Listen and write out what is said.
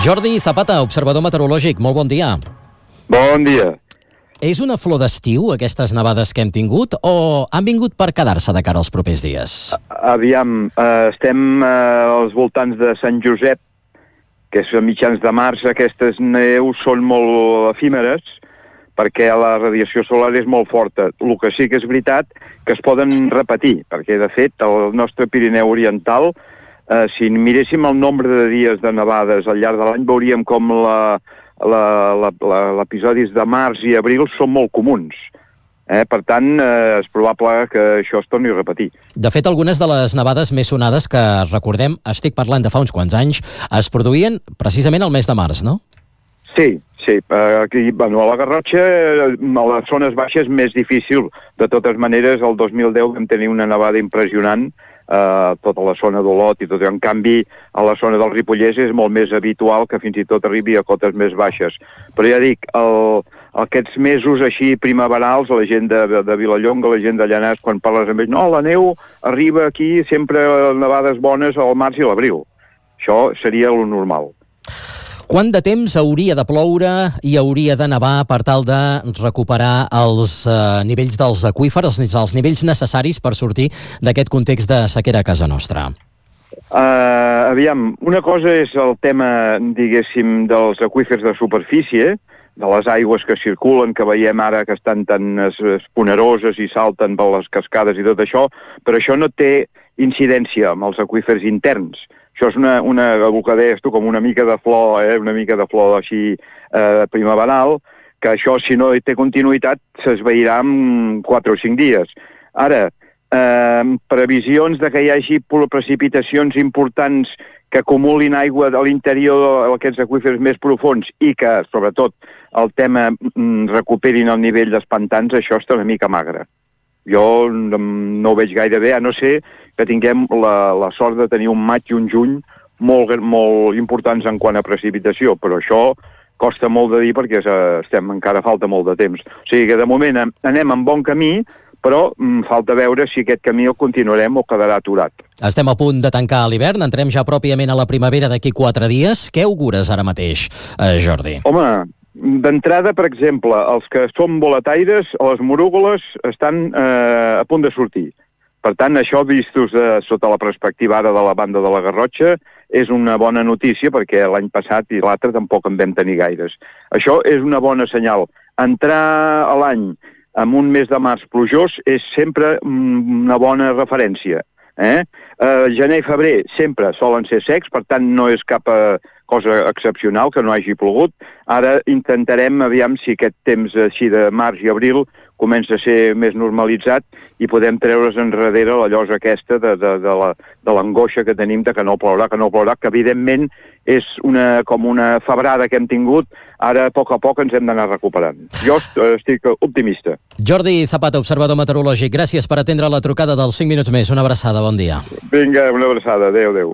Jordi Zapata, observador meteorològic, molt bon dia. Bon dia. És una flor d'estiu, aquestes nevades que hem tingut, o han vingut per quedar-se de cara als propers dies? Aviam, estem als voltants de Sant Josep, que és a mitjans de març. Aquestes neus són molt efímeres, perquè la radiació solar és molt forta. El que sí que és veritat que es poden repetir, perquè de fet el nostre Pirineu Oriental, si miréssim el nombre de dies de nevades al llarg de l'any, veuríem com l'episodis de març i abril són molt comuns. Per tant, és probable que això es torni a repetir. De fet, algunes de les nevades més sonades que recordem, estic parlant de fa uns quants anys, es produïen precisament al mes de març, no? Sí. Aquí, a la Garrotxa, a les zones baixes, més difícil. De totes maneres, el 2010 vam tenir una nevada impressionant, tota la zona d'Olot i tot. En canvi, a la zona del Ripollès és molt més habitual que fins i tot arribi a cotes més baixes. Però ja dic, aquests mesos així primaverals, la gent de Vilallonga, la gent de Llanars, quan parles amb ells, no, la neu arriba aquí, sempre nevades bones al març i l'abril. Això seria lo normal. Quant de temps hauria de ploure i hauria de nevar per tal de recuperar els nivells dels aqüífers, els nivells necessaris per sortir d'aquest context de sequera a casa nostra? Aviam, una cosa és el tema, diguéssim, dels aqüífers de superfície, de les aigües que circulen, que veiem ara que estan tan esponeroses i salten per les cascades i tot això, però això no té incidència amb els aqüífers interns. Això és el que deies tu, com una mica de flor, una mica de flor així primaveral, que això, si no té continuïtat, s'esvairà en 4 o 5 dies. Ara, previsions de que hi hagi precipitacions importants que acumulin aigua a l'interior d'aquests aqüífers més profunds i que, sobretot, el tema recuperin el nivell dels pantans, això està una mica magre. Jo no ho veig gaire bé, a no ser que tinguem la sort de tenir un maig i un juny molt importants en quant a precipitació, però això costa molt de dir perquè encara falta molt de temps. O sigui que de moment anem en bon camí, però falta veure si aquest camí el continuarem o quedarà aturat. Estem a punt de tancar l'hivern, entrem ja pròpiament a la primavera d'aquí 4 dies. Què augures ara mateix, Jordi? Home, d'entrada, per exemple, els que som boletaires, les morúgoles estan a punt de sortir. Per tant, això, vistos sota la perspectiva ara de la banda de la Garrotxa, és una bona notícia, perquè l'any passat i l'altre tampoc en vam tenir gaires. Això és una bona senyal. Entrar a l'any amb un mes de març plujós és sempre una bona referència. Gener i febrer sempre solen ser secs, per tant no és cap cosa excepcional que no hagi plogut. Ara intentarem, aviam si aquest temps així de març i abril comença a ser més normalitzat i podem treure's enrere la llosa aquesta de l'angoixa que tenim de que no plourà, que evidentment és com una febrada que hem tingut, ara a poc ens hem d'anar recuperant. Jo estic optimista. Jordi Zapata, observador meteorològic, gràcies per atendre la trucada dels 5 minuts més. Una abraçada, bon dia. Vinga, una abraçada, adéu.